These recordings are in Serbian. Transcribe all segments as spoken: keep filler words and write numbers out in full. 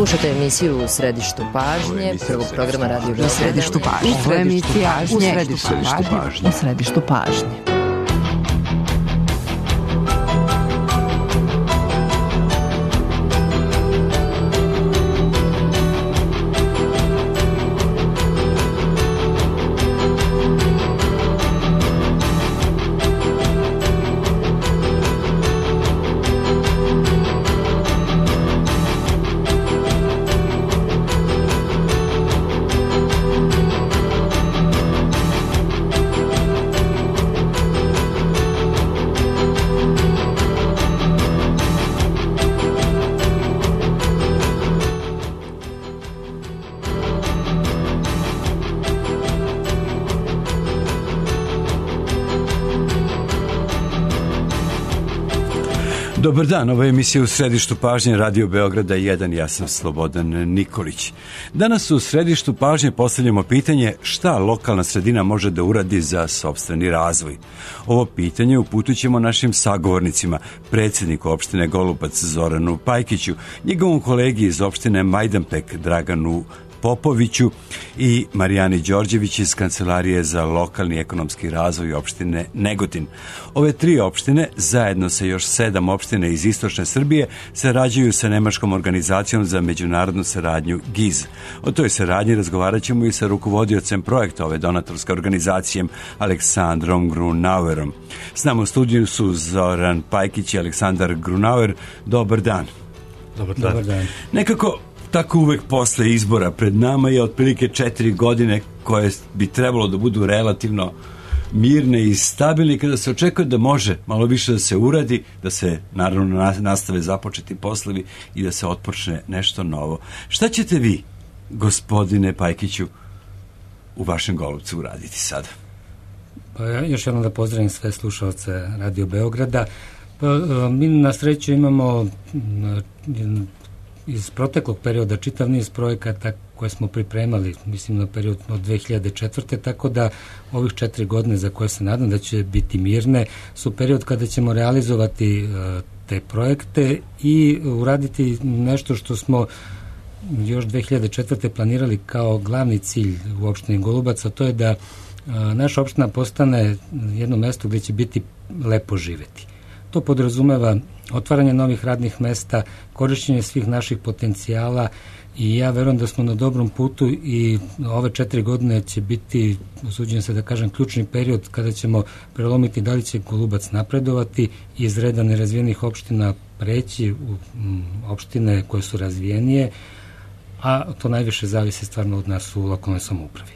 Slušate emisiju U središtu pažnje, prvog programa Radio Beograda. U središtu pažnje. Ovo je emisija U središtu pažnje. U središtu pažnje. Dobar dan, ovo je emisija U središtu pažnje Radio Beograda jedan, ja sam Slobodan Nikolić. Danas u središtu pažnje postavljamo pitanje šta lokalna sredina može da uradi za sopstveni razvoj. Ovo pitanje uputit ćemo našim sagovornicima, predsjedniku opštine Golubac Zoranu Pajkiću, njegovom kolegi iz opštine Majdanpek Draganu Popoviću i Marijani Đorđević iz Kancelarije za lokalni ekonomski razvoj opštine Negotin. Ove tri opštine, zajedno sa još sedam opštine iz istočne Srbije, sarađuju sa nemačkom organizacijom za međunarodnu saradnju G I Z. O toj saradnji razgovarat ćemo i sa rukovodiocem projekta ove donatorske organizacije, Aleksandrom Grunauerom. S nama u studiju su Zoran Pajkić i Aleksandar Grunauer. Dobar dan. Dobar dan. Dobar dan. Nekako tako uvek posle izbora pred nama je otprilike četiri godine koje bi trebalo da budu relativno mirne i stabilne, kada se očekuje da može malo više da se uradi, da se naravno nastave započeti poslovi i da se otpočne nešto novo. Šta ćete vi, gospodine Pajkiću, u vašem Golubcu uraditi sada? Pa ja još jednom da pozdravim sve slušalce Radio Beograda. Pa, mi na sreću imamo iz proteklog perioda čitav niz projekata koje smo pripremali, mislim na period od dve hiljade četvrte. Tako da ovih četiri godine za koje se nadam da će biti mirne su period kada ćemo realizovati uh, te projekte i uraditi nešto što smo još dve hiljade četvrte planirali kao glavni cilj u opštini Golubac, a to je da uh, naša opština postane jedno mesto gdje će biti lepo živeti. To podrazumeva otvaranje novih radnih mesta, korišćenje svih naših potencijala i ja verujem da smo na dobrom putu i ove četiri godine će biti, usuđujem se da kažem, ključni period kada ćemo prelomiti da li će Golubac napredovati i iz reda nerazvijenih opština preći u opštine koje su razvijenije, a to najviše zavisi stvarno od nas u lokalnoj samoupravi.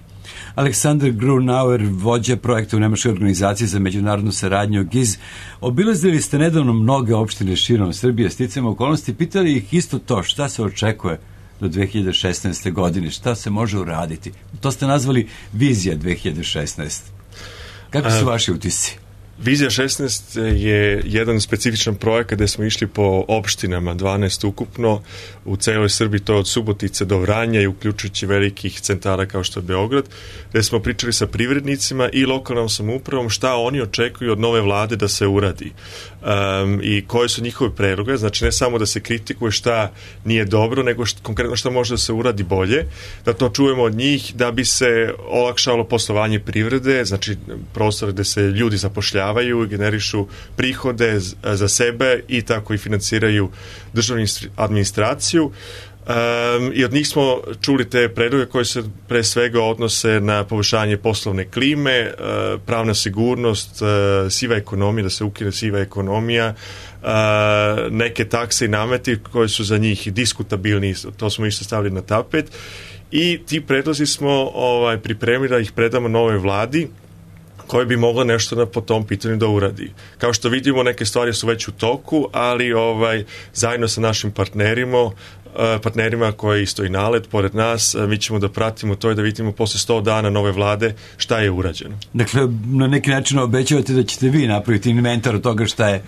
Aleksandar Grunauer, vođa projekta u nemačkoj organizaciji za međunarodnu saradnju G I Z. Obilazili ste nedavno mnoge opštine širom Srbije, sticajem okolnosti, pitali ih isto to, šta se očekuje do dve hiljade šesnaeste. godine, šta se može uraditi. To ste nazvali Vizija dve hiljade šesnaeste. Kako su vaši utisci? Vizija šesnaest je jedan specifičan projekat gde smo išli po opštinama, dvanaest ukupno, u celoj Srbiji, to od Subotice do Vranja i uključujući velikih centara kao što je Beograd, gde smo pričali sa privrednicima i lokalnom samoupravom šta oni očekuju od nove vlade da se uradi um, i koje su njihove predloge, znači ne samo da se kritikuje šta nije dobro, nego šta, konkretno šta može da se uradi bolje, da to čujemo od njih da bi se olakšalo poslovanje privrede, znači prostor gde se ljudi zapošljavaju i generišu prihode za sebe i tako i financiraju državnu administraciju. Um, i od njih smo čuli te predloge koje se pre svega odnose na poboljšanje poslovne klime, uh, pravna sigurnost, uh, siva ekonomija, da se ukine siva ekonomija, uh, neke takse i nameti koje su za njih diskutabilni, to smo isto stavili na tapet i ti predlozi smo ovaj, pripremili da ih predamo novoj vladi koje bi moglo nešto na, po tom pitanju da uradi. Kao što vidimo, neke stvari su već u toku, ali ovaj, zajedno sa našim partnerima, partnerima koji isto i nalet pored nas, mi ćemo da pratimo to i da vidimo posle sto dana nove vlade šta je urađeno. Dakle, na neki način obećavate da ćete vi napraviti inventar od toga šta je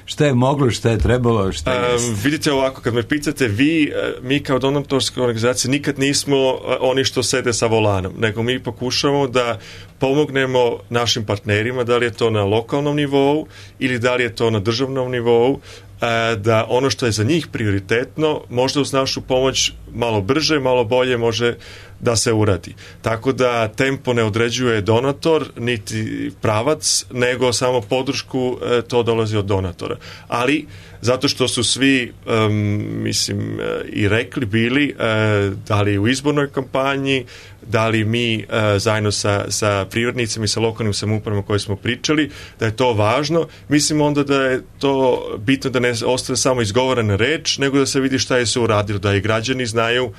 šta je moglo, šta je trebalo, šta je... Um, vidite ovako, kad me pitate vi, mi kao donatorska organizacija nikad nismo oni što sede sa volanom, nego mi pokušamo da pomognemo našim partnerima, da li je to na lokalnom nivou ili da li je to na državnom nivou, da ono što je za njih prioritetno možda uz našu pomoć malo brže, malo bolje može da se uradi. Tako da tempo ne određuje donator niti pravac, nego samo podršku, to dolazi od donatora. Ali zato što su svi um, mislim i rekli bili uh, da li u izbornoj kampanji, da li mi uh, zajedno sa, sa privrednicima i sa lokalnim samoupravama koje smo pričali, da je to važno. Mislim onda da je to bitno da ne ostane samo izgovorena reč, nego da se vidi šta je se uradilo, da i građani znaju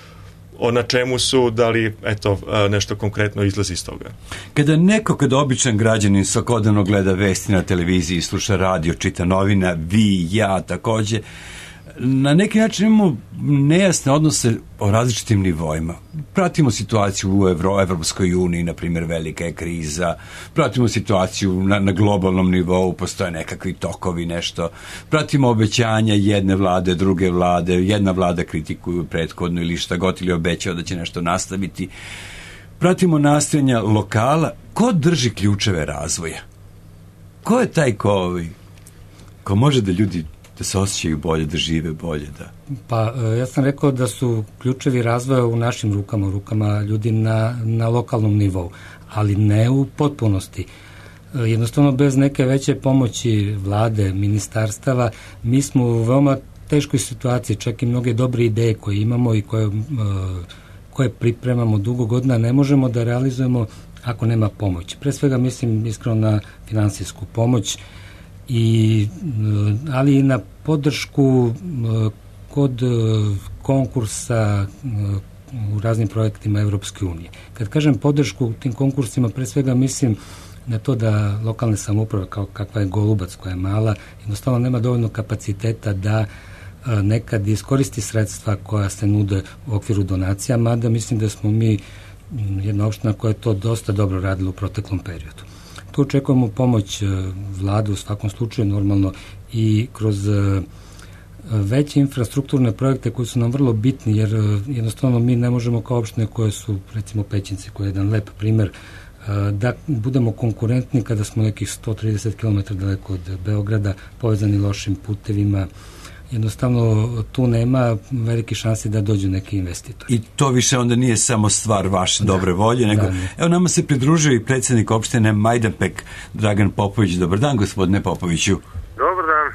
o na čemu su, da li eto, nešto konkretno izlazi iz toga. Kada neko, kada običan građanin svakodnevno gleda vesti na televiziji, sluša radio, čita novina, vi, ja takođe, na neki način imamo nejasne odnose o različitim nivoima. Pratimo situaciju u Evro, Evropskoj uniji, na primjer, velika je kriza, pratimo situaciju na, na globalnom nivou, postoje nekakvi tokovi, nešto. Pratimo obećanja jedne vlade, druge vlade, jedna vlada kritikuju prethodnu ili šta god ili obećao da će nešto nastaviti. Pratimo nastojanja lokala. Ko drži ključeve razvoja? Ko je taj ko, ko može da ljudi da se osjećaju bolje, da žive bolje, da? Pa, ja sam rekao da su ključevi razvoja u našim rukama, u rukama ljudi na, na lokalnom nivou, ali ne u potpunosti. Jednostavno, bez neke veće pomoći vlade, ministarstava, mi smo u veoma teškoj situaciji, čak i mnoge dobre ideje koje imamo i koje, koje pripremamo dugo godina, ne možemo da realizujemo ako nema pomoći. Pre svega mislim iskreno na finansijsku pomoć, I, ali i na podršku kod konkursa u raznim projektima Evropske unije. Kad kažem podršku u tim konkursima, pre svega mislim na to da lokalne samouprave, kao kakva je Golubac, koja je mala, jednostavno nema dovoljno kapaciteta da nekad iskoristi sredstva koja se nude u okviru donacija, mada mislim da smo mi jedna opština koja je to dosta dobro radila u proteklom periodu. Tu očekujemo pomoć vlade u svakom slučaju, normalno i kroz veće infrastrukturne projekte koji su nam vrlo bitni, jer jednostavno mi ne možemo kao opštine koje su, recimo Pećinci, koji je jedan lep primer, da budemo konkurentni kada smo nekih sto trideset kilometara daleko od Beograda, povezani lošim putevima. Jednostavno tu nema velike šanse da dođu neki investitori. I to više onda nije samo stvar vaše da, dobre volje, nego da, evo nama se pridružio i predsjednik opštine Majdanpek, Dragan Popović. Dobar dan, gospodine Popoviću. Dobar dan.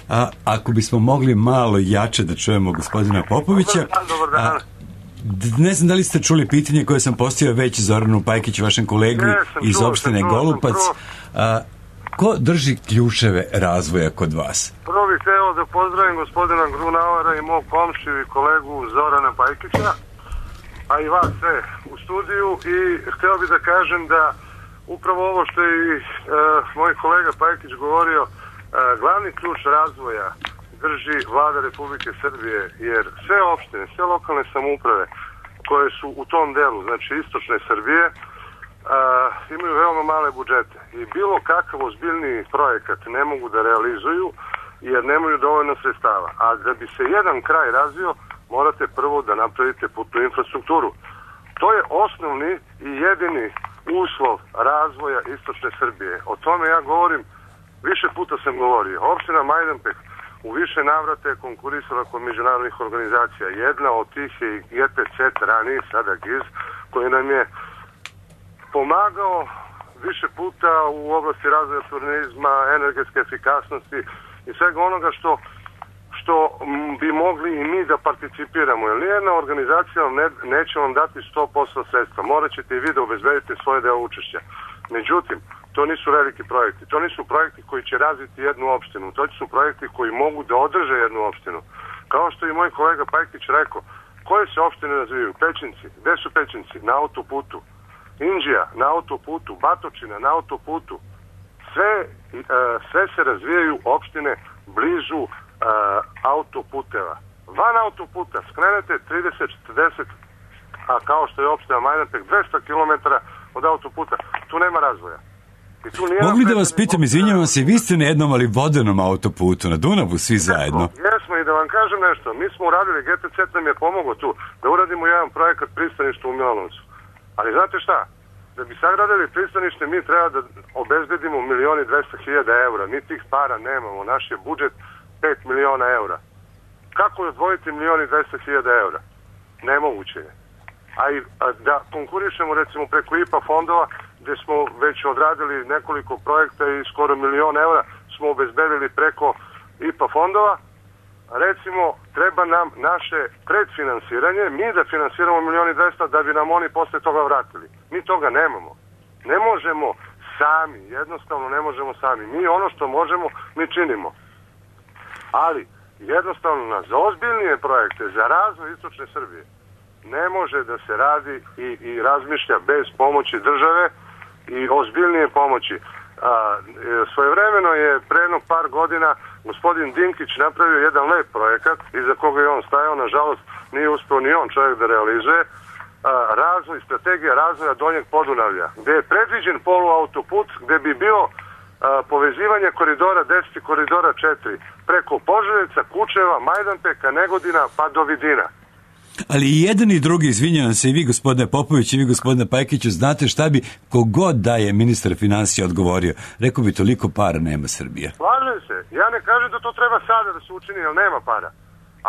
A ako bismo mogli malo jače da čujemo gospodina Popovića. Dobar dan, dobar dan. A, ne znam da li ste čuli pitanje koje sam postavio već Zoranu Pajkiću, vašem kolegu ne, iz čuo, opštine čuo, Golubac. A, ko drži ključeve razvoja kod vas? Prvo bih hteo da pozdravim gospodina Grunauera i mog komšiju i kolegu Zorana Pajkića, a i vas sve u studiju, i hteo bih da kažem da upravo ovo što je i e, moj kolega Pajkić govorio, e, glavni ključ razvoja drži vlada Republike Srbije, jer sve opštine, sve lokalne samouprave koje su u tom delu, znači istočne Srbije, Uh, imaju veoma male budžete i bilo kakav ozbiljniji projekat ne mogu da realizuju jer nemaju dovoljno sredstava. A da bi se jedan kraj razvio, morate prvo da napravite putnu infrastrukturu. To je osnovni i jedini uslov razvoja istočne Srbije. O tome ja govorim, više puta sam govorio. Opština Majdanpek u više navrata je konkurisala kod međunarodnih organizacija. Jedna od tih je i G P C Trani, sada G I Z, koji nam je pomagao više puta u oblasti razvoja turizma, energetske efikasnosti i svega onoga što, što bi mogli i mi da participiramo. Jer nijedna organizacija vam ne, neće vam dati sto posto sredstva. Morat ćete i vi da obezbedite svoje deo učešća. Međutim, to nisu veliki projekti. To nisu projekti koji će razviti jednu opštinu. To su projekti koji mogu da održe jednu opštinu. Kao što i moj kolega Pajkić rekao, koje se opštine razvijaju? Pećinci. Gde su Pećinci? Na autoputu. Inđija na autoputu, Batočina na autoputu, sve, e, sve se razvijaju opštine blizu e, autoputeva. Van autoputa skrenete trideset četrdeset, a kao što je opština Majdanpek dvesta kilometara od autoputa, tu nema razvoja. I tu Mogli da vas pitam, izvinjavam se, vi ste na jednom ali vodenom autoputu, na Dunavu, svi zajedno. Jesmo, i da vam kažem nešto, mi smo uradili, G P C nam je pomogao tu, da uradimo jedan projekat pristaništa u Milanovcu. Ali znate šta? Da bi sagradili pristanište, mi treba da obezbedimo milioni dvesta hiljada eura. Mi tih para nemamo. Naš je budžet pet miliona eura. Kako odvojiti milijon i dvesta hiljada eura? Nemoguće je. A i a da konkurišemo recimo preko I P A fondova, gdje smo već odradili nekoliko projekta i skoro milion eura smo obezbedili preko I P A fondova, recimo treba nam naše predfinansiranje, mi da finansiramo milijon i dvesta da bi nam oni posle toga vratili. Mi toga nemamo. Ne možemo sami, jednostavno ne možemo sami. Mi ono što možemo, mi činimo. Ali jednostavno na za ozbiljnije projekte, za razvoj istočne Srbije, ne može da se radi i, i razmišlja bez pomoći države i ozbiljnije pomoći. A, svojevremeno je pre jednog par godina gospodin Dinkić napravio jedan lep projekat iza koga je on stajao, nažalost nije uspio ni on čovjek da realizuje, a, razvoj, strategija razvoja Donjeg Podunavlja, gdje je predviđen poluautoput, gdje bi bio a, povezivanje koridora deset i koridora četiri preko Požarevca, Kučeva, Majdanpeka, Negodina pa do Vidina. Ali i jedan i drugi, izvinjavam se, i vi gospodine Popović i vi gospodine Pajkiću, znate šta bi kogod da je ministar financija odgovorio, rekao bi toliko para nema Srbija. Slažem se, ja ne kažem da to treba sada da se učini, jer nema para,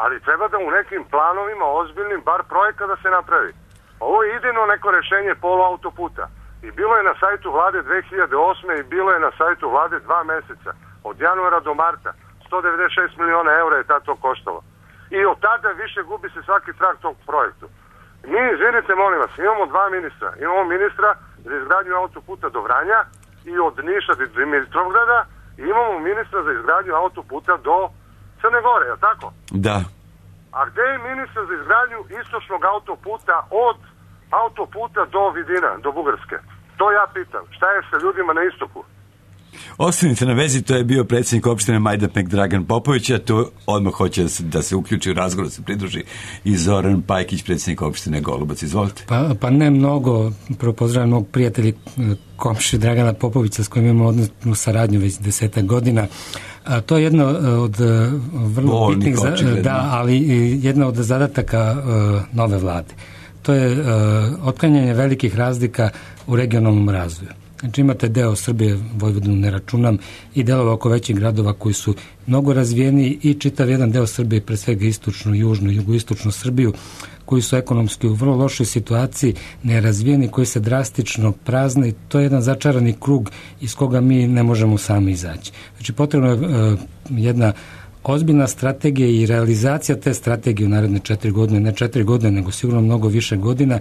ali treba da u nekim planovima ozbiljnim bar projekta da se napravi. Ovo je idejno neko rešenje poluautoputa i bilo je na sajtu vlade dve hiljade osme i bilo je na sajtu vlade dva meseca, od januara do marta, sto devedeset šest miliona eura je tad to koštalo. I od tada više gubi se svaki trag tog projektu. Mi, izvinite, molim vas, imamo dva ministra. Imamo ministra za izgradnju autoputa do Vranja i od Niša do Dimitrovgrada i imamo ministra za izgradnju autoputa do Crne Gore, je li tako? Da. A gde je ministar za izgradnju istočnog autoputa od autoputa do Vidina, do Bugarske? To ja pitam. Šta je sa ljudima na istoku? Ostanite na vezi, to je bio predsjednik opštine Majdanpek Dragan Popović, a tu odmah hoće da se, da se uključi u razgovor, da se pridruži i Zoran Pajkić, predsjednik opštine Golubac. Izvolite. Pa, pa ne mnogo, prvo pozdravljam mog prijatelja komši Dragana Popovića s kojim imamo odnosnu saradnju već desetak godina. A, to je jedno od vrlo Bolnik, bitnih, očigledno. da, ali jedna od zadataka uh, nove vlade. To je uh, otklanjanje velikih razlika u regionalnom razvoju. Znači imate deo Srbije, Vojvodinu ne računam, i delova oko većih gradova koji su mnogo razvijeni i čitav jedan deo Srbije, pre svega istočnu, južnu i jugoistočnu Srbiju, koji su ekonomski u vrlo lošoj situaciji, nerazvijeni, koji se drastično prazne i to je jedan začarani krug iz koga mi ne možemo sami izaći. Znači potrebno je uh, jedna ozbiljna strategija i realizacija te strategije u naredne četiri godine, ne četiri godine, nego sigurno mnogo više godina,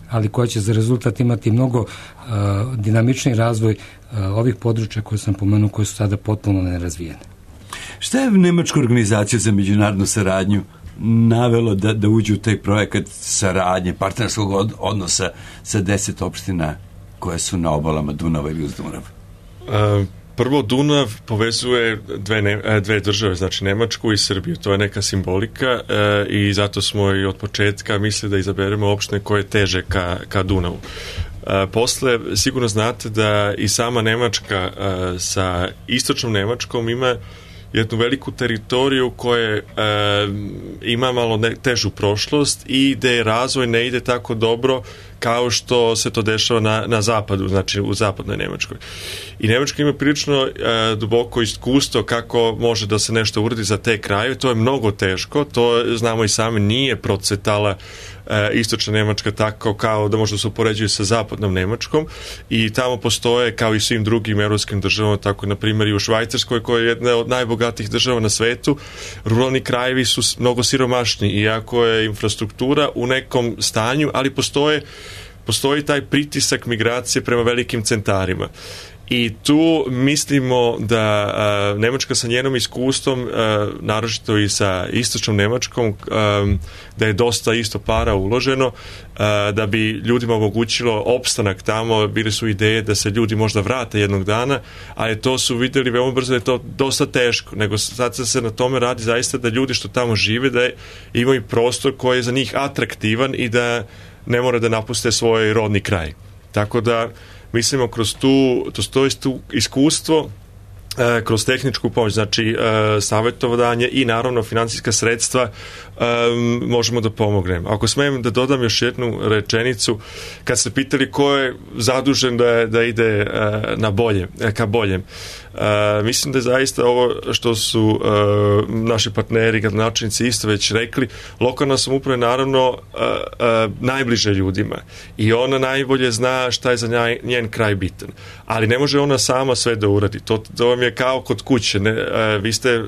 ali koja će za rezultat imati mnogo uh, dinamični razvoj uh, ovih područja koje sam pomenuo, koje su sada potpuno nerazvijene. Šta je Nemačka organizacija za međunarodnu saradnju navelo da, da uđe u taj projekat saradnje, partnerskog od, odnosa sa deset opština koje su na obalama Dunava ili uz Dunav? Uh, Prvo, Dunav povezuje dve, ne, dve države, znači Nemačku i Srbiju. To je neka simbolika e, i zato smo i od početka mislili da izaberemo opštine koje teže ka, ka Dunavu. E, posle, sigurno znate da i sama Nemačka e, sa istočnom Nemačkom ima jednu veliku teritoriju koja e, ima malo ne, težu prošlost i gde razvoj ne ide tako dobro kao što se to dešava na, na zapadu, znači u zapadnoj Nemačkoj. I Nemačka ima prilično e, duboko iskustvo kako može da se nešto uradi za te kraje. To je mnogo teško, to znamo i sami, nije procvetala e, istočna Nemačka tako kao da može da se upoređuje sa zapadnom Nemačkom i tamo postoje, kao i svim drugim evropskim državama, tako na primjer i u Švajcarskoj, koja je jedna od najbogatijih država na svetu, ruralni krajevi su mnogo siromašni, iako je infrastruktura u nekom stanju, ali postoje postoji taj pritisak migracije prema velikim centarima. I tu mislimo da a, Nemačka sa njenom iskustvom, a, naročito i sa istočnom Nemačkom, a, da je dosta isto para uloženo, a, da bi ljudima omogućilo opstanak tamo. Bile su ideje da se ljudi možda vrate jednog dana, ali to su videli veoma brzo da je to dosta teško, nego sad se na tome radi zaista da ljudi što tamo žive, da imaju prostor koji je za njih atraktivan i da ne mora da napuste svoj rodni kraj. Tako da mislimo kroz tu, to stoji tu iskustvo kroz tehničku pomoć, znači savjetovanje i naravno financijska sredstva možemo da pomognemo. Ako smijem da dodam još jednu rečenicu, kad ste pitali ko je zadužen da, da ide na bolje, ka boljem, mislim da je zaista ovo što su naši partneri, gradonačelnici isto već rekli, lokalna samouprava je naravno najbliže ljudima i ona najbolje zna šta je za njen kraj bitan. Ali ne može ona sama sve da uradi. To, to vam je kao kod kuće. Ne, vi ste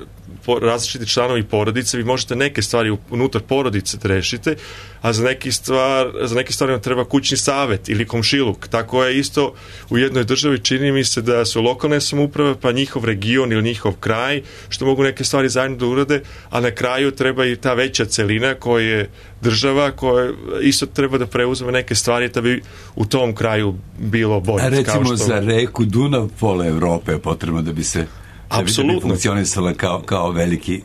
različiti članovi porodice, vi možete neke stvari unutar porodice da rešite, a za neke, stvar, za neke stvari vam treba kućni savet ili komšiluk. Tako je isto u jednoj državi, čini mi se da su lokalne samouprave, pa njihov region ili njihov kraj, što mogu neke stvari zajedno da urade, a na kraju treba i ta veća celina koja je država, koja isto treba da preuzme neke stvari da bi u tom kraju bilo bolje. A recimo kao što... za reku Dunav pola Evrope je potrebno da bi se apsolutno funkcionisala kao, kao veliki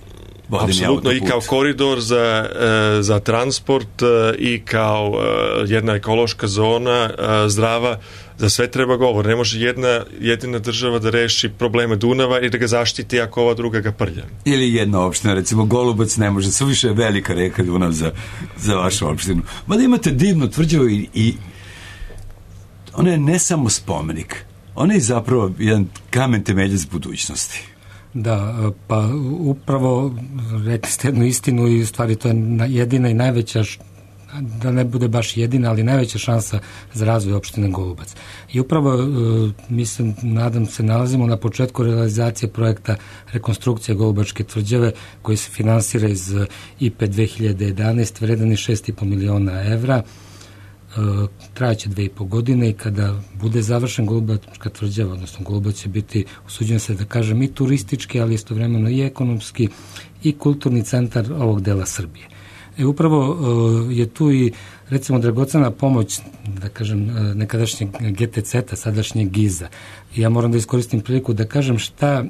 vodeni autoput. Apsolutno, i kao koridor za, za transport i kao jedna ekološka zona zdrava, za sve treba govor. Ne može jedna jedina država da reši probleme Dunava i da ga zaštiti ako ova druga ga prlja. Ili jedna opština, recimo Golubac ne može, suviše je velika reka Dunav za, za vašu opštinu. Mada imate divnu tvrđavu i, i ona je ne samo spomenik, ona je zapravo jedan kamen temeljac budućnosti. Da, pa upravo rekli ste jednu istinu i u stvari to je jedina i najveća, da ne bude baš jedina, ali najveća šansa za razvoj opštine Golubac. I upravo, mislim, nadam se, nalazimo na početku realizacije projekta rekonstrukcije Golubačke tvrđave koji se finansira iz I P E dve hiljade jedanaeste, vredan je šest i po miliona evra. Trajaće dve i po godine i kada bude završen Golubačka tvrđava, odnosno Golubac će biti, usuđujem se da kažem, i turistički, ali istovremeno i ekonomski i kulturni centar ovog dela Srbije. E, upravo je tu i recimo dragocena pomoć, da kažem, nekadašnjeg G T C-a, sadašnjeg Giza. I ja moram da iskoristim priliku da kažem šta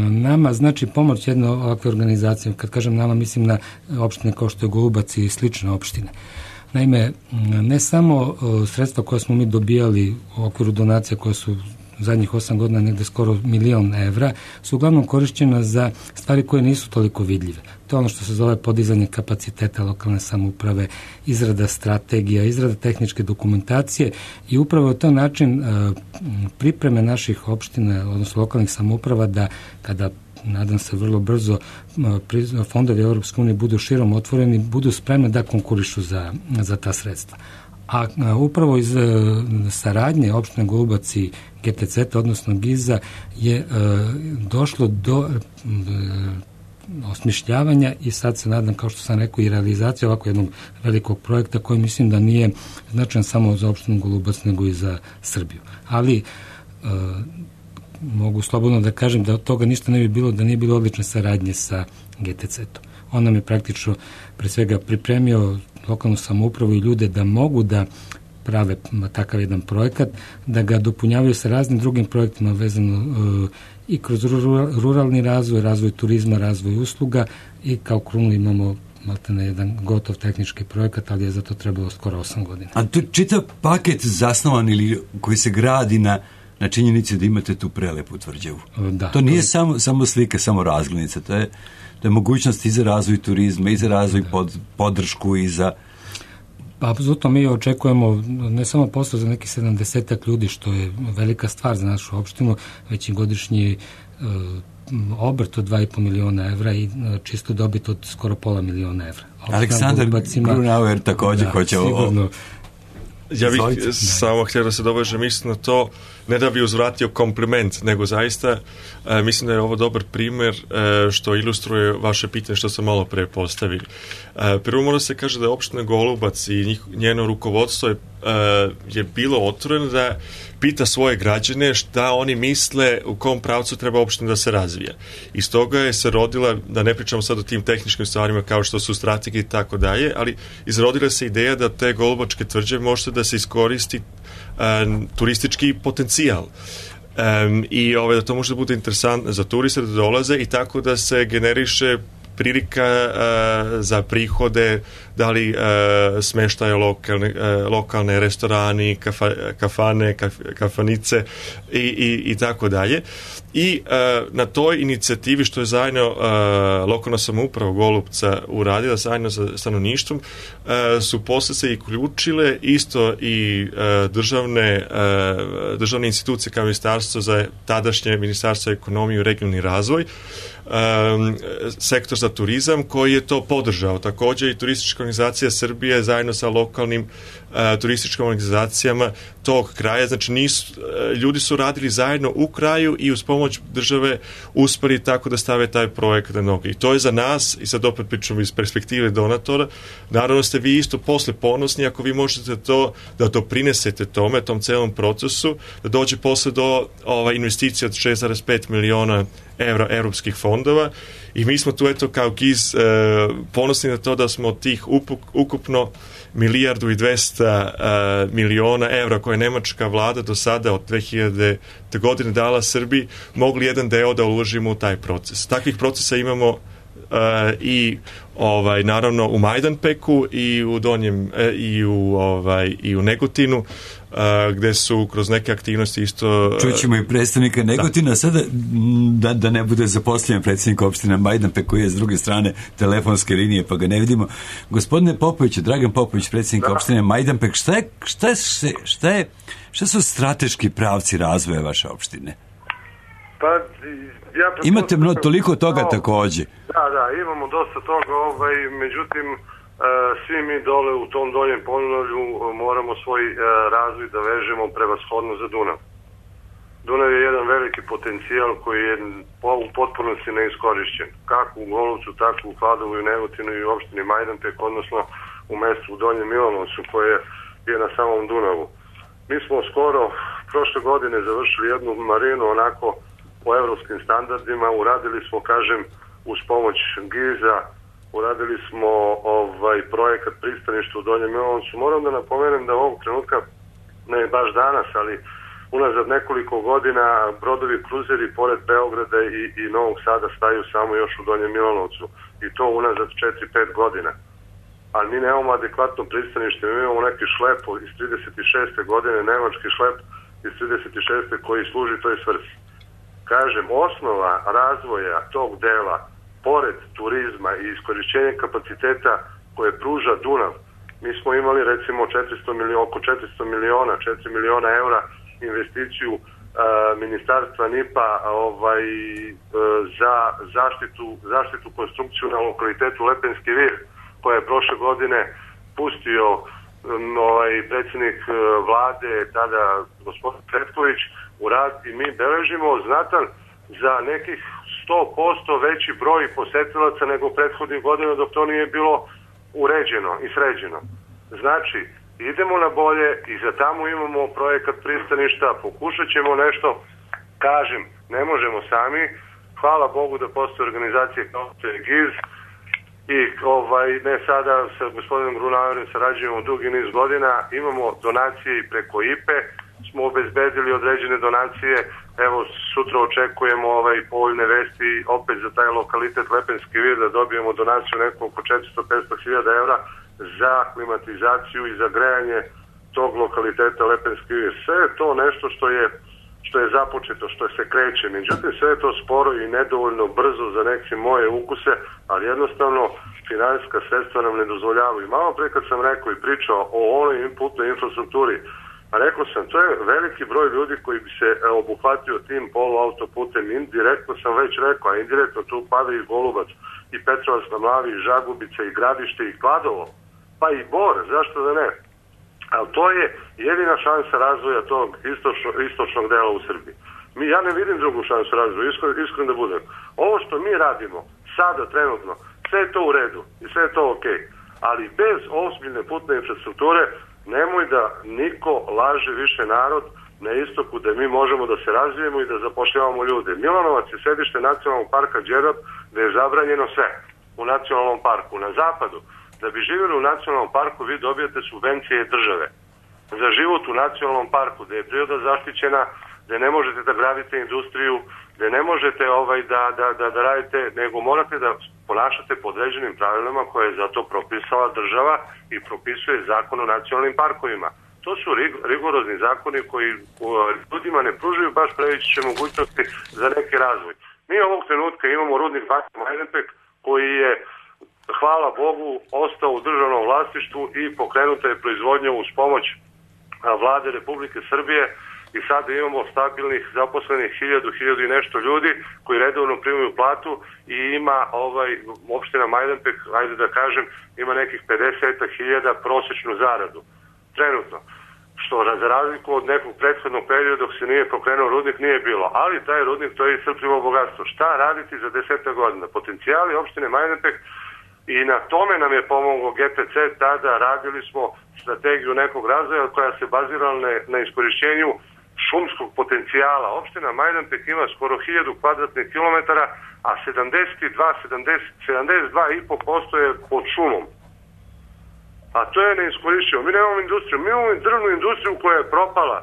nama znači pomoć jedne ovakve organizacije. Kad kažem nama, mislim na opštine kao što je Golubac i slične opštine. Naime, ne samo sredstva koje smo mi dobijali u okviru donacija koje su zadnjih osam godina negde skoro milion evra, su uglavnom korišćena za stvari koje nisu toliko vidljive. To je ono što se zove podizanje kapaciteta lokalne samouprave, izrada strategija, izrada tehničke dokumentacije i upravo je to način pripreme naših opština, odnosno lokalnih samouprava da kada nadam se vrlo brzo fondovi Europske unije budu širom otvoreni, budu spremni da konkurišu za, za ta sredstva. A, a upravo iz saradnje opštine Golubac i G T C-a, odnosno Giza, je e, došlo do e, osmišljavanja i sad se nadam, kao što sam rekao, i realizacija ovako jednog velikog projekta koji mislim da nije značajan samo za opštinu Golubac, nego i za Srbiju. Ali e, mogu slobodno da kažem da od toga ništa ne bi bilo da nije bilo odlične saradnje sa G T C-om. On nam je praktično pre svega pripremio lokalnu samoupravu i ljude da mogu da prave takav jedan projekat, da ga dopunjavaju sa raznim drugim projektima vezano uh, i kroz ruralni razvoj, razvoj turizma, razvoj usluga i kao krunu imamo maltene jedan gotov tehnički projekat, ali je za to trebalo skoro osam godina. A to čitav paket zasnovan ili koji se gradi na na činjenici da imate tu prelepu tvrđavu. Da, to nije to je... samo, samo slika, samo razglednica, to je, to je mogućnost i za razvoj turizma, i za razvoj pod, podršku, i za... Pa, apsolutno mi očekujemo ne samo posao za neki sedamdesetak ljudi, što je velika stvar za našu opštinu, već i godišnji uh, obrt od dva i po miliona evra i uh, čisto dobit od skoro pola miliona evra. Aleksandar Grunauer također da, hoće sigurno, o... Ja bih Izvolite. samo htio da se dovežem mislim na to, ne da bi uzvratio kompliment, nego zaista e, mislim da je ovo dobar primer e, što ilustruje vaše pitanje što sam malo pre postavili. E, prvo mora se kaže da je opština Golubac i njih, njeno rukovodstvo je, e, je bilo otvoreno da pita svoje građane šta oni misle u kom pravcu treba opština da se razvija. Iz toga je se rodila, da ne pričamo sad o tim tehničkim stvarima kao što su strategije i tako dalje, ali izrodila se ideja da te Golubačke tvrđave možete da se iskoristi um, turistički potencijal. Um, I ove, da to može da bude interesantno za turiste da dolaze i tako da se generiše prilika uh, za prihode da li e, smeštaje lokalne, e, lokalne restorani, kafa, kafane, kaf, kafanice i, i, i tako dalje. I e, na toj inicijativi što je zajedno e, lokalna samouprava Golupca uradila zajedno sa stanovništvom e, su posle se i uključile isto i e, državne, e, državne institucije kao ministarstvo za tadašnje ministarstvo ekonomije i regionalni razvoj, Um, sektor za turizam koji je to podržao. Također i turistička organizacija Srbije zajedno sa lokalnim uh, turističkim organizacijama tog kraja, znači nisu, uh, ljudi su radili zajedno u kraju i uz pomoć države uspeli tako da stave taj projekat na noge. I to je za nas, i sad opet pričamo iz perspektive donatora, naravno ste vi isto posle ponosni ako vi možete to da doprinesete tome, tom celom procesu, da dođe posle do ova, investicija od šest zarez pet miliona evra europskih fondova i mi smo tu eto kao G I Z e, ponosni na to da smo od tih upuk, ukupno milijardu i dvesta e, miliona evra koje je nemačka vlada do sada od dve hiljadite godine dala Srbiji, mogli jedan deo da uložimo u taj proces. Takvih procesa imamo e, i ovaj naravno u Majdanpeku i u Donjem e, i u ovaj i u Negotinu, Uh, gde su kroz neke aktivnosti isto... Čućemo i predstavnika Negotina, da. Sada da, da ne bude zaposlen predsednik opštine Majdanpek koji je s druge strane telefonske linije pa ga ne vidimo. Gospodine Popović, Dragan Popović, predsednik da. opštine Majdanpek, šta je, šta je, šta je, šta su strateški pravci razvoja vaše opštine? Pa, ja imate mnogo toliko toga no, takođe. Da, da, imamo dosta toga, ovaj, međutim, svi mi dole u tom doljem Podunavlju moramo svoj razvoj da vežemo prevashodno za Dunav. Dunav je jedan veliki potencijal koji je u potpunosti neiskorišćen. Kako u Golupcu, tako u Kladovu i Negotinu i u opštini Majdanpek, odnosno u mestu u Donjem Milanovcu koje je na samom Dunavu. Mi smo skoro prošle godine završili jednu marinu onako po evropskim standardima, uradili smo, kažem, uz pomoć G I Z-a, uradili smo ovaj projekat pristaništa u Donjem Milanovcu. Moram da napomenem da ovog trenutka, ne baš danas, ali unazad nekoliko godina brodovi kruzeri pored Beograda i, i Novog Sada staju samo još u Donjem Milanovcu. I to unazad četiri pet godina. Ali mi nemamo adekvatno pristanište. Mi imamo neki šlep iz trideset šeste godine, nemački šlep iz trideset šeste koji služi toj svrsi. Kažem, osnova razvoja tog dela pored turizma i iskorišćenja kapaciteta koje pruža Dunav, mi smo imali recimo četiristo miliona, oko četiristo miliona, četiri miliona eura investiciju uh, ministarstva N I P-a ovaj, uh, za zaštitu, zaštitu konstrukciju na lokalitetu Lepenski vir, koja je prošle godine pustio um, ovaj, predsjednik uh, vlade, tada gospodin Petković, u rad i mi beležimo znatan za nekih sto posto veći broj posetilaca nego prethodnih godina dok to nije bilo uređeno i sređeno. Znači, idemo na bolje i za tamo imamo projekat pristaništa, pokušat ćemo nešto, kažem, ne možemo sami, hvala Bogu da postoje organizacije kao što je G I Z i ovaj, ne sada sa gospodinom Grunaverom sarađujemo dugi niz godina, imamo donacije i preko I P E, smo obezbedili određene donacije, evo sutra očekujemo ovaj povoljne vesti opet za taj lokalitet Lepenski vir da dobijemo donaciju neko oko četiristo do petsto hiljada evra za klimatizaciju i za grejanje tog lokaliteta Lepenski vir. Sve je to nešto što je što je započeto, što se kreće, međutim sve je to sporo i nedovoljno brzo za neke moje ukuse, ali jednostavno finansijska sredstva nam ne dozvoljavaju. Malo pre kad sam rekao i pričao o onoj putnoj infrastrukturi, a rekao sam, to je veliki broj ljudi koji bi se obuhvatio tim poluautoputem. Indirektno sam već rekao, a indirektno tu pada i Golubac, i Petrovac na Mlavi, i Žagubica, i Gradište, i Kladovo, pa i Bor, zašto da ne? Ali to je jedina šansa razvoja tog istočno, istočnog dela u Srbiji. Mi, ja ne vidim drugu šansu razvoja, iskren, iskren da budem. Ovo što mi radimo, sada, trenutno, sve je to u redu i sve je to okej. Ali bez ozbiljne putne infrastrukture nemoj da niko laže više narod na istoku da mi možemo da se razvijemo i da zapošljavamo ljude. Milanovac je sedište nacionalnog parka Đerdap gde je zabranjeno sve u nacionalnom parku. Na zapadu, da bi živjeli u nacionalnom parku, vi dobijete subvencije države za život u nacionalnom parku, gde je priroda zaštićena, gde ne možete da gradite industriju, gde ne možete ovaj, da, da, da, da radite, nego morate da ponašate po određenim pravilima koje je za to propisala država i propisuje zakon o nacionalnim parkovima. To su rigorozni zakoni koji ljudima ne pružaju baš previše mogućnosti za neki razvoj. Mi ovog trenutka imamo rudnik Banja Majdanpek koji je, hvala Bogu, ostao u državnom vlasništvu i pokrenuta je proizvodnja uz pomoć vlade Republike Srbije i sada imamo stabilnih zaposlenih hiljadu, hiljadu i nešto ljudi koji redovno primaju platu i ima ovaj, opština Majdanpek, ajde da kažem, ima nekih pedeset hiljada prosječnu zaradu. Trenutno. Što za razliku od nekog prethodnog perioda dok se nije pokrenuo rudnik nije bilo. Ali taj rudnik to je iscrpljivo bogatstvo. Šta raditi za desetak godina? Potencijali opštine Majdanpek i na tome nam je pomogao G P C, tada radili smo strategiju nekog razvoja koja se bazirala na, na iskorišćenju šumskog potencijala. Opština Majdanpek ima skoro hiljadu kvadratnih kilometara, a sedamdeset dva, sedamdeset, sedamdeset dva i po posto je pod šumom. A to je neiskorišćeno. Mi nemamo industriju. Mi imamo drvnu industriju koja je propala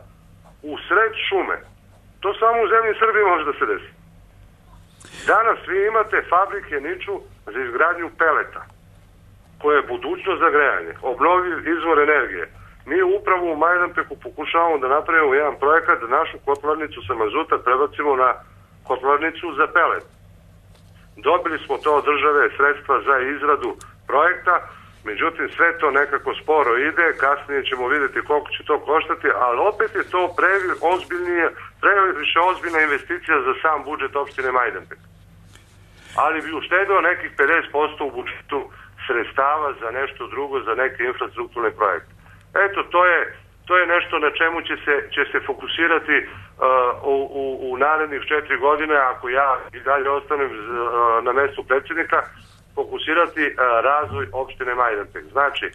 u sred šume. To samo u zemlji Srbije može da se desi. Danas vi imate fabrike niču za izgradnju peleta, koje je budućnost za grejanje, obnovljiv izvor energije. Mi upravo u Majdanpeku pokušavamo da napravimo jedan projekat da našu kotlarnicu sa mazuta prebacimo na kotlarnicu za pelet. Dobili smo to od države sredstva za izradu projekta, međutim sve to nekako sporo ide, kasnije ćemo vidjeti koliko će to koštati, ali opet je to previše ozbiljnije, previše ozbiljna investicija za sam budžet opštine Majdanpek. Ali bi uštedeo nekih pedeset posto u budžetu sredstava za nešto drugo, za neke infrastrukturne projekte. Eto, to je, to je nešto na čemu će se, će se fokusirati uh, u, u, u narednih četiri godine, ako ja i dalje ostanem uh, na mestu predsjednika, fokusirati uh, razvoj opštine Majdanpek. Znači, uh,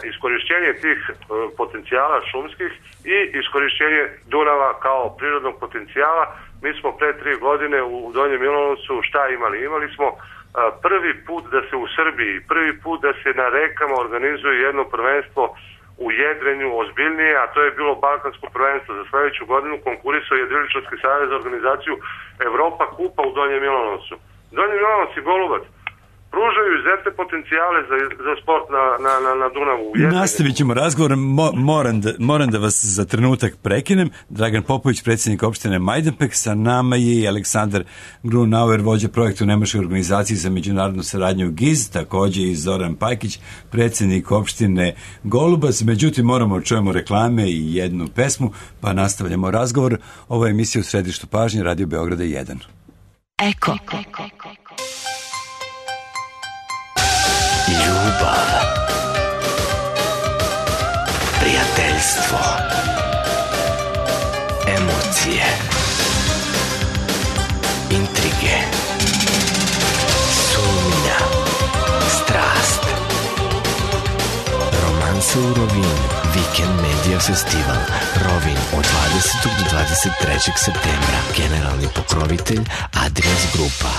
iskorišćenje tih uh, potencijala šumskih i iskorišćenje Dunava kao prirodnog potencijala. Mi smo pre tri godine u Donjem Milanovcu šta imali? Imali smo uh, prvi put da se u Srbiji, prvi put da se na rekama organizuje jedno prvenstvo u jedrenju ozbiljnije, a to je bilo Balkansko prvenstvo. Za sledeću godinu konkurisao je Jedriličarski savez za organizaciju Evropa kupa u Donjem Milanovcu. Donji Milanovac i Golubac pružaju izuzetne potencijale za, za sport na, na, na, na Dunavu. Nastavit ćemo razgovor. Mo, moram, da, moram da vas za trenutak prekinem. Dragan Popović, predsjednik opštine Majdanpek, sa nama je i Aleksandar Grunauer, vođa projekta u Nemačkoj organizaciji za međunarodnu saradnju G I Z, takođe i Zoran Pajkić, predsjednik opštine Golubac. Međutim, moramo čujemo reklame i jednu pesmu, pa nastavljamo razgovor. Ovo je emisija u središtu pažnje Radio Beograda jedan. Eko. Eko. Ljubav, prijateljstvo, emocije, intrige, sumnja, strast. Romansa u Rovinu, Vikend Media Festival, Rovin od dvadesetog do dvadeset trećeg septembra. Generalni pokrovitelj Adrias Grupa.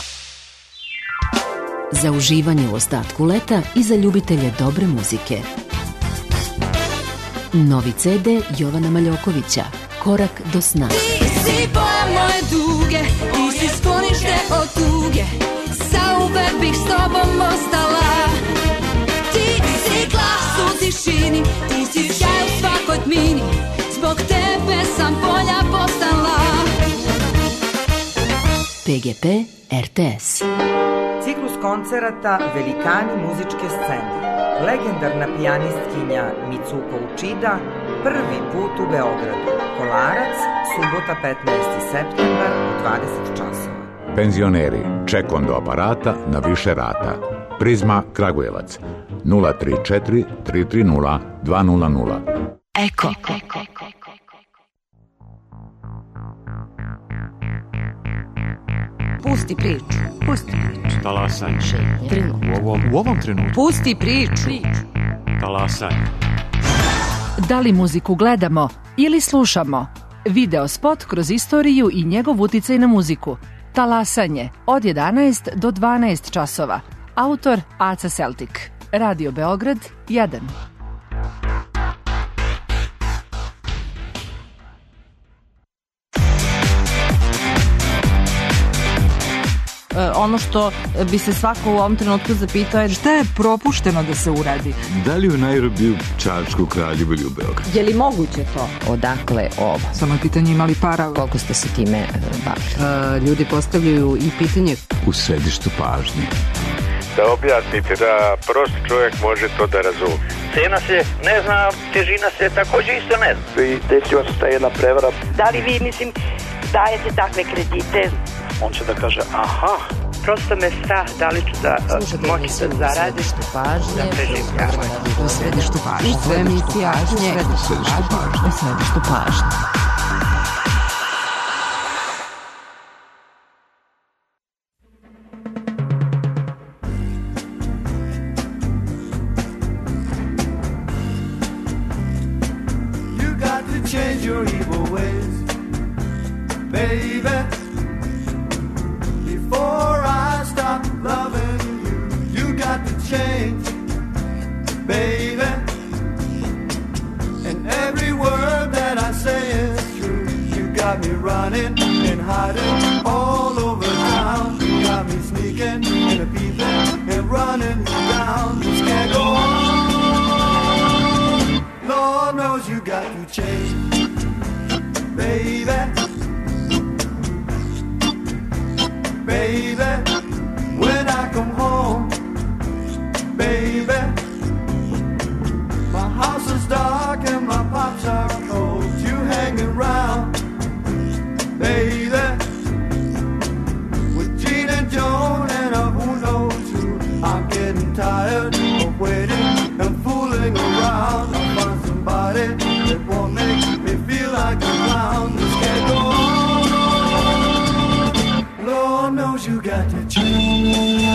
Za uživanje u ostatku leta i za ljubitelje dobre muzike. Novi ce de Jovana Maljokovića, Korak do sna. Ti si boja moje duge, ti si sklonište od tuge, zauvek bih s tobom ostala. Ti si glas u tišini, ti si sjaj u svakoj tmini, zbog tebe sam bolja postala. P G P R T S. Ciklus koncerata Velikani muzičke scene. Legendarna pijanistkinja Mitsuko Uchida prvi put u Beogradu. Kolarac, subota petnaesti septembar u dvadeset časova. Penzioneri, ček do aparata na više rata. Prizma Kragujevac nula tri četiri tri tri nula dva nula nula. Eko. Pusti priču, pusti priču. Talasanje. Trenutno. U ovom, u ovom trenutku. Pusti priču. Talasanje. Da li muziku gledamo ili slušamo? Video spot kroz istoriju i njegov uticaj na muziku. Talasanje od jedanaest do dvanaest časova. Autor Aca Celtic. Radio Beograd jedan. ono što bi se svako u ovom trenutku zapitao je šta je propušteno da se uradi? Da li u Nairobiju, Čačku, Kraljevu ili u Beogradu? Je li moguće to? Odakle ovo? Samo je pitanje imali para. Koliko ste se time uh, bavili? Uh, ljudi postavljaju i pitanje U središtu pažnje. Da objasnite, da prosti čovjek može to da razumije. Cena se ne zna, težina se također isto ne zna. I desila se ta jedna prevara. Da li vi, mislim, dajete takve kredite? On će da kaže, aha. Prosto me strah, da li ću da moći da zaradim. U središtu pažnje. U središtu pažnje. U središtu pažnje. U središtu pažnje. Change your evil ways, baby, before I stop loving you. You got to change, baby, and every word that I say is true. You got me running and hiding all over town. You got me sneaking and a peeping and running down. This can't go on. Lord knows you got to change, baby, baby. When I come home, baby, my house is dark and my pops are cold. You hanging around, baby, with Gene and Joan and a who knows who. I'm getting tired of waiting and fooling around. I'll find somebody that won't make me feel like a clown. This can't go on. Lord knows you got to change.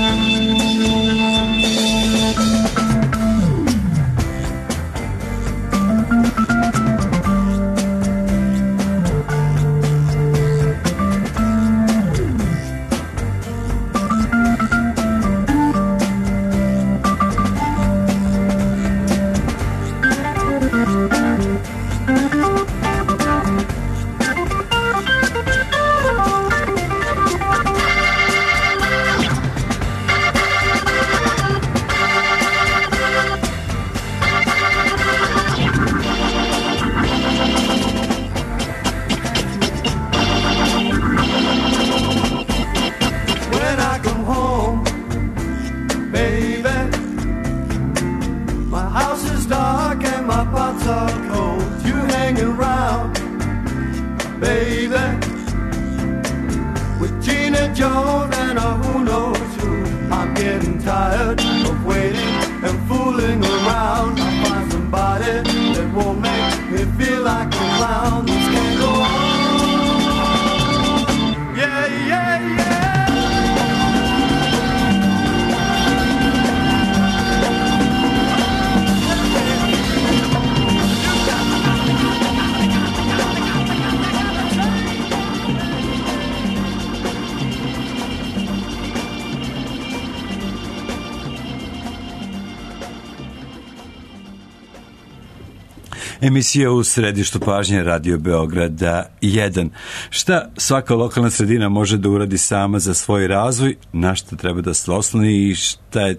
Emisija U središtu pažnje Radio Beograda jedan. Šta svaka lokalna sredina može da uradi sama za svoj razvoj, na šta treba da se osloni i šta je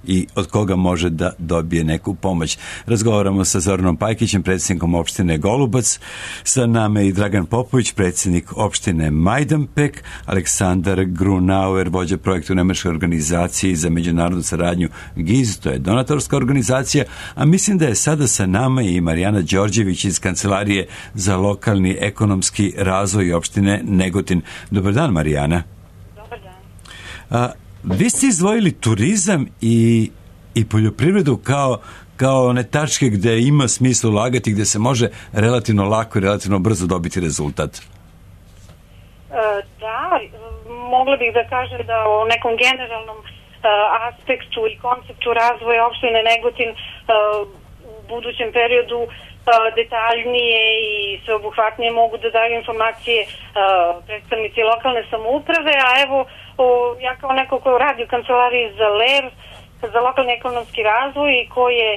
i od koga može da dobije neku pomoć. Razgovaramo sa Zoranom Pajkićem, predsjednikom opštine Golubac, sa nama i Dragan Popović, predsjednik opštine Majdanpek, Aleksandar Grunauer, vođa projekta u Nemačkoj organizaciji za međunarodnu saradnju G I Z, to je donatorska organizacija, a mislim da je sada sa nama i Marijana Đorđević iz Kancelarije za lokalni ekonomski razvoj opštine Negotin. Dobar dan, Marijana. Dobar dan. A, vi ste izdvojili turizam i, i poljoprivredu kao, kao one tačke gde ima smisla ulagati, gde se može relativno lako i relativno brzo dobiti rezultat. E, da, mogla bih da kažem da o nekom generalnom e, aspektu i konceptu razvoja opštine Negotin e, u budućem periodu detaljnije i sveobuhvatnije mogu da daju informacije uh, predstavnici lokalne samouprave, a evo o, ja kao neko ko radi u kancelariji za L E R, za lokalni ekonomski razvoj i koji je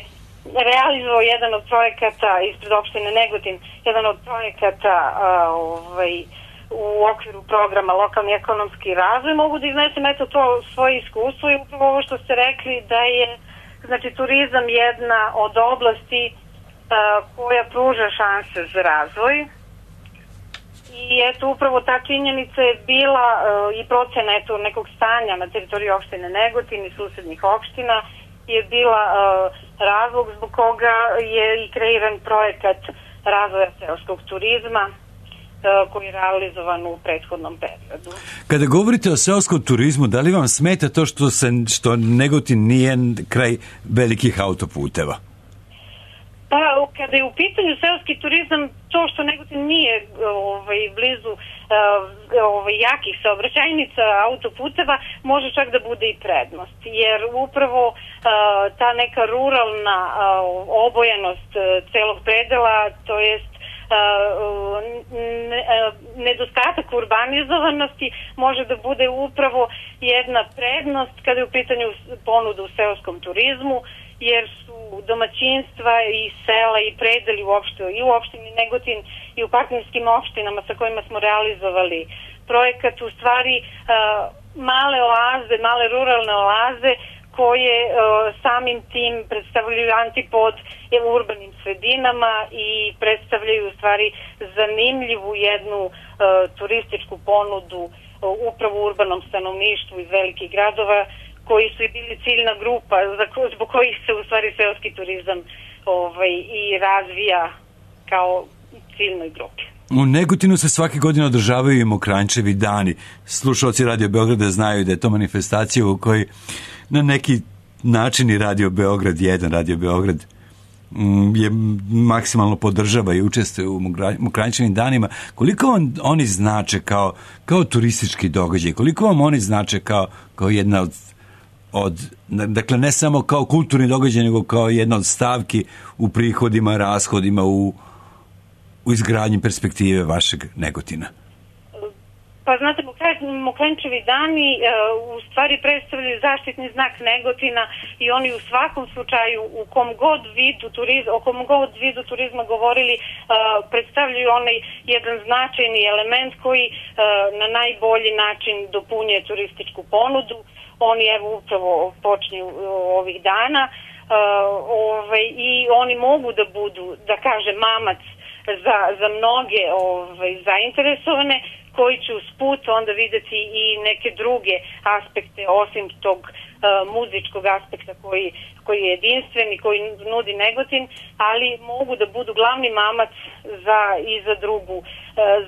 realizovao jedan od projekata ispred opštine Negotin, jedan od projekata uh, ovaj, u okviru programa lokalni ekonomski razvoj, mogu da iznesem eto to svoje iskustvo i upravo ovo što ste rekli da je znači turizam jedna od oblasti uh, koja pruža šanse za razvoj i eto upravo ta činjenica je bila uh, i procena eto nekog stanja na teritoriji opštine Negotin i susednih opština je bila uh, razlog zbog koga je i kreiran projekat razvoja seoskog turizma koji je realizovan u prethodnom periodu. Kada govorite o seoskom turizmu, da li vam smeta to što, se, što Negotin nije kraj velikih autoputeva? Pa, kada je u pitanju seoski turizam, to što Negotin nije ovaj, blizu ovaj, jakih saobraćajnica autoputeva, može čak da bude i prednost. Jer upravo ta neka ruralna obojenost celog predela, to jest nedostatak urbanizovanosti može da bude upravo jedna prednost kada je u pitanju ponuda u seoskom turizmu, jer su domaćinstva i sela i predeli uopšte i u opštini Negotin i u partnerskim opštinama sa kojima smo realizovali projekat, u stvari male oaze, male ruralne oaze koje uh, samim tim predstavljaju antipod urbanim sredinama i predstavljaju u stvari zanimljivu jednu uh, turističku ponudu uh, upravo u urbanom stanovništvu iz velikih gradova koji su i bili ciljna grupa za, zbog kojih se u stvari seoski turizam ovaj, i razvija kao ciljnoj grupi. U Negotinu se svake godine održavaju i Mokranjčevi dani. Slušalci Radio Beograda znaju da je to manifestacija u kojoj na neki način i Radio Beograd jedan, Radio Beograd je maksimalno podržava i učestvuje u Mokranjčevim danima. Koliko vam oni znače kao, kao turistički događaj? Koliko vam oni znače kao, kao jedna od, od, dakle ne samo kao kulturni događaj, nego kao jedna od stavki u prihodima, rashodima, u u izgradnji perspektive vašeg Negotina? Pa znate, Mokranjčevi dani uh, u stvari predstavljaju zaštitni znak Negotina i oni u svakom slučaju u kom god vidu turizma, o kom god vidu turizma govorili, uh, predstavljaju onaj jedan značajni element koji uh, na najbolji način dopunjuje turističku ponudu. Oni evo upravo počinju uh, ovih dana uh, ovaj, i oni mogu da budu, da kaže, mamac za, za mnoge ovaj, zainteresovane koji će uz put onda videti i neke druge aspekte osim tog uh, muzičkog aspekta koji, koji je jedinstven i koji nudi Negotin, ali mogu da budu glavni mamac za, i za drugu, uh,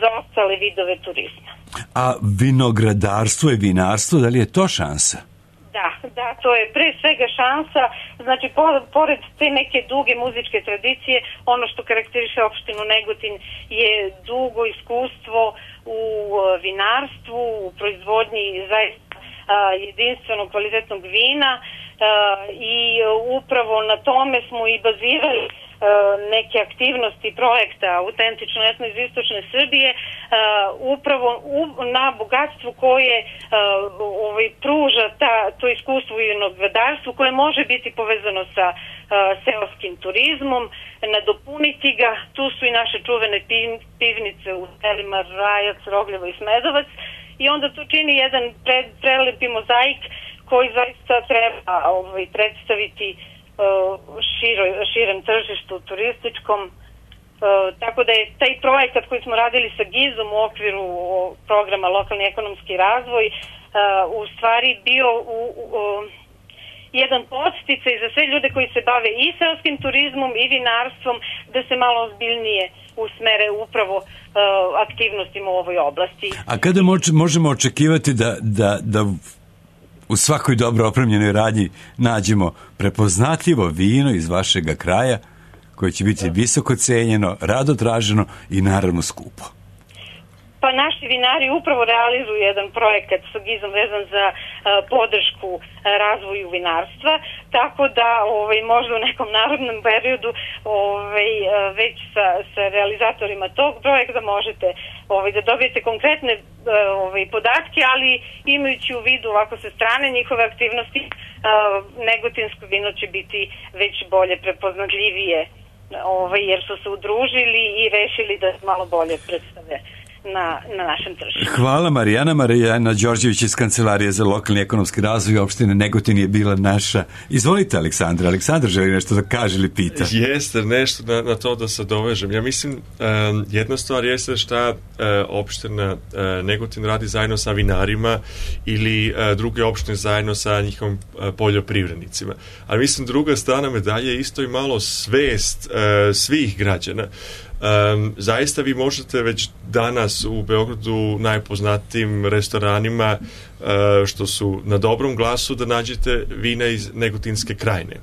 za ostale vidove turizma. A vinogradarstvo i vinarstvo, da li je to šansa? Da, da, to je pre svega šansa, znači po, pored te neke duge muzičke tradicije, ono što karakteriše opštinu Negotin je dugo iskustvo u vinarstvu, u proizvodnji zaista jedinstvenog kvalitetnog vina i upravo na tome smo i bazirali neke aktivnosti projekta Autentično etno iz istočne Srbije upravo na bogatstvu koje ovaj, pruža ta, to iskustvo u vinogradarstvu koje može biti povezano sa seoskim turizmom, nadopuniti ga. Tu su i naše čuvene pivnice u selima Rajac, Rogljevo i Smedovac i onda tu čini jedan pre, prelepi mozaik koji zaista treba ovaj, predstaviti Širo, širem tržištu turističkom, e, tako da je taj projekat koji smo radili sa Gizom u okviru programa Lokalni ekonomski razvoj e, u stvari bio u, u, jedan podsticaj za sve ljude koji se bave i seoskim turizmom i vinarstvom da se malo ozbiljnije usmere upravo e, aktivnostima u ovoj oblasti. A kada moč, možemo očekivati da, da, da u svakoj dobro opremljenoj radnji nađemo prepoznatljivo vino iz vašega kraja koje će biti visoko cenjeno, rado traženo i naravno skupo? Pa naši vinari upravo realizuju jedan projekat sa Gizom vezan za uh, podršku uh, razvoju vinarstva, tako da ovaj, možda u nekom narodnom periodu ovaj, uh, već sa, sa realizatorima tog projekta možete ovaj, da dobijete konkretne uh, ovaj, podatke, ali imajući u vidu ovako sa strane njihove aktivnosti, uh, negotinsko vino će biti već bolje prepoznatljivije, ovaj, jer su se udružili i rešili da malo bolje predstave na, na našem tržištu. Hvala Marijana. Marijana Đorđević iz Kancelarije za lokalni ekonomski razvoj opštine Negotin je bila naša. Izvolite Aleksandra. Aleksandar želi nešto da kaže ili pita. Jeste, nešto na, na to da se dovežem. Ja mislim, um, jedna stvar jeste šta uh, opština uh, Negotin radi zajedno sa vinarima ili uh, druge opštine zajedno sa njihovim uh, poljoprivrednicima. Ali mislim, druga strana medalje je isto i malo svest uh, svih građana. Um, zaista vi možete već danas u Beogradu najpoznatijim restoranima uh, što su na dobrom glasu da nađete vina iz Negotinske krajine.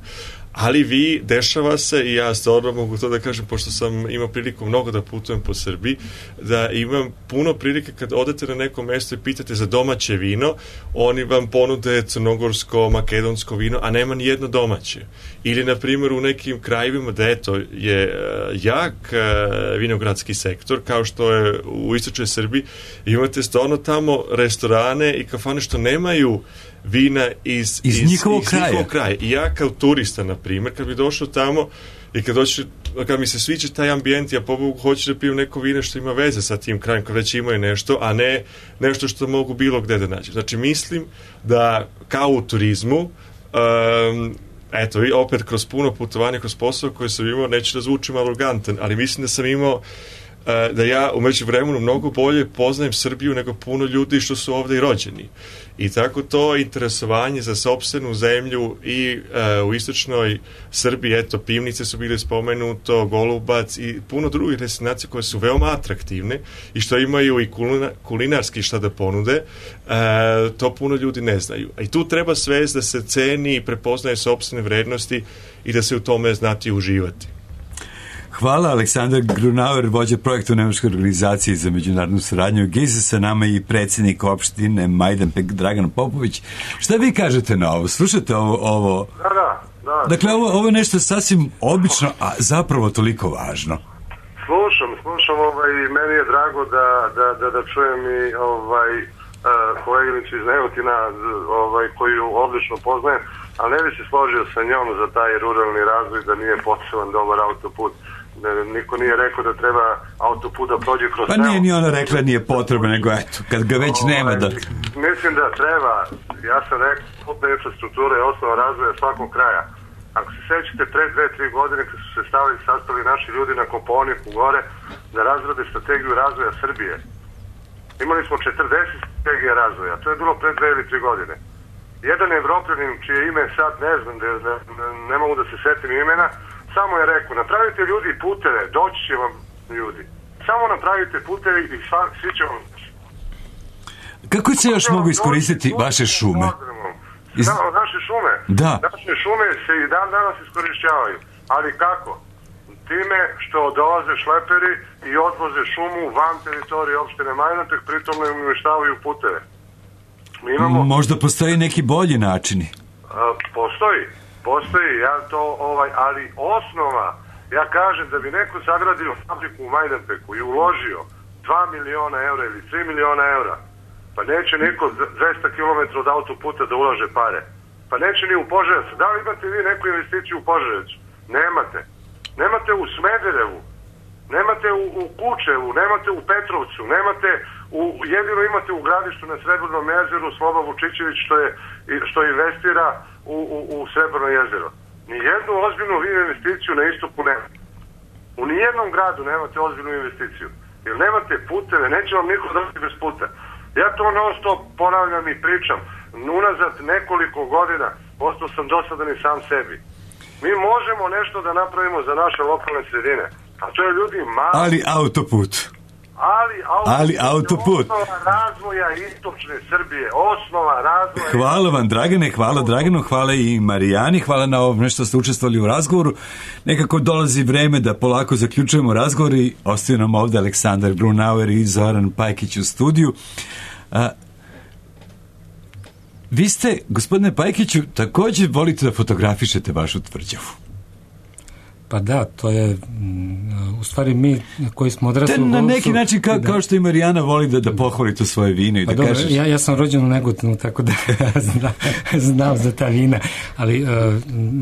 Ali vi, dešava se, i ja stvarno mogu to da kažem, pošto sam imao priliku mnogo da putujem po Srbiji, da imam puno prilike kad odete na neko mesto i pitate za domaće vino, oni vam ponude crnogorsko, makedonsko vino, a nema ni jedno domaće. Ili, na primjer, u nekim krajevima da eto je uh, jak uh, vinogradski sektor, kao što je u istočnoj Srbiji, imate stvarno tamo restorane i kafane što nemaju vina iz, iz, iz njihovog kraja. Njihovog kraja. I ja kao turista, na primjer, kad bi došao tamo i kad, doći, kad mi se sviđa taj ambijent, ja pobogu hoću da pijem neko vino što ima veze sa tim krajem, kad već imaju nešto, a ne nešto što mogu bilo gde da nađem. Znači, mislim da kao u turizmu, um, eto, i opet kroz puno putovanja, kroz posao koje sam imao, neću da zvučim arogantan, ali mislim da sam imao da ja umeđu vremenu mnogo bolje poznajem Srbiju nego puno ljudi što su ovde i rođeni. I tako to interesovanje za sopstvenu zemlju i uh, u istočnoj Srbiji, eto, Pivnice su bile spomenuto, Golubac i puno drugih destinacija koje su veoma atraktivne i što imaju i kulina, kulinarski šta da ponude, uh, to puno ljudi ne znaju. I tu treba svest da se ceni i prepoznaje sopstvene vrednosti i da se u tome znati uživati. Hvala. Aleksandar Grunauer, vođa projekta u Nemačkoj organizaciji za međunarodnu saradnju Gize, sa nama i predsjednik opštine Majdanpek Dragan Popović. Šta vi kažete na ovo? Slušate ovo? ovo? Da, da, da. Dakle, ovo, ovo je nešto sasvim obično, a zapravo toliko važno. Slušam, slušam, ovaj, meni je drago da, da, da, da čujem i ovaj, uh, koleginicu iz Negotina, ovaj, koju odlično poznajem, ali ne bi se složio sa njom za taj ruralni razvoj da nije potreban dobar autoput. Niko nije rekao da treba autoput da prođe kroz pa nije ni ona rekla nije potrebno, nego eto, kad ga već ovaj, nema da... Mislim da treba, ja sam rekao, putna infrastruktura je osnova razvoja svakog kraja. Ako se sećate, pre dve, tri godine kad su se stavili, sastavili naši ljudi na Kopaoniku gore da razrade strategiju razvoja Srbije. Imali smo četrdeset strategija razvoja, to je bilo pre dve ili tri godine. Jedan Evropljanin, čije ime sad ne znam, ne, ne, ne mogu da se setim imena, samo je rekao, napravite ljudi puteve, doći će vam ljudi. Samo napravite puteve i sva, svi će vam... Kako se još mogu iskoristiti vaše šume? Iz... Da, naše šume? Da. Naše šume se i dan danas iskorišćavaju. Ali kako? Time što dolaze šleperi i odvoze šumu van teritorije opštine Majdanpek, pritom ne uništavaju puteve. Mi imamo... Možda postoji neki bolji načini? A, postoji. Postoji, ja to, ovaj, ali osnova, ja kažem da bi neko sagradio fabriku u Majdanpeku i uložio dva miliona eura ili tri miliona eura, pa neće niko dvesta kilometara od autoputa da ulaže pare. Pa neće ni u Požarevcu. Da li imate vi neku investiciju u Požarevcu? Nemate. Nemate u Smederevu, nemate u, u Kučevu, nemate u Petrovcu, nemate u, jedino imate u Gradištu na Srebrnom jezeru Sloba Vučićević što, je, što investira u, u, u Srebrno jezero. Nijednu ozbiljnu investiciju na istoku nema. U nijednom gradu nemate ozbiljnu investiciju. Jer nemate puteve, neće vam niko dati bez puta. Ja to non stop ponavljam i pričam. Unazad nekoliko godina ostao sam dosadan i sam sebi. Mi možemo nešto da napravimo za naše lokalne sredine. A to je ljudi malo. Ali autoput. Ali autoput. Ali autoput. Osnova razvoja istočne Srbije. Osnova razvoja. Hvala vam, Dragane, hvala Draganu, hvala i Marijani, hvala na ovo što ste učestvovali u razgovoru. Nekako dolazi vreme da polako zaključujemo razgovor i ostaju nam ovde Aleksandar Grunauer i Zoran Pajkić u studiju. A, vi ste, gospodine Pajkiću, također volite da fotografišete vašu tvrđavu. Pa da, to je u stvari mi koji smo odrasli u Golubcu. Na neki način kao, da. kao što i Marijana voli da, da pohvali to svoje vino i pa da dobro, kažeš... Ja, ja sam rođen u Negotinu, tako da znam, znam za ta vina, ali uh,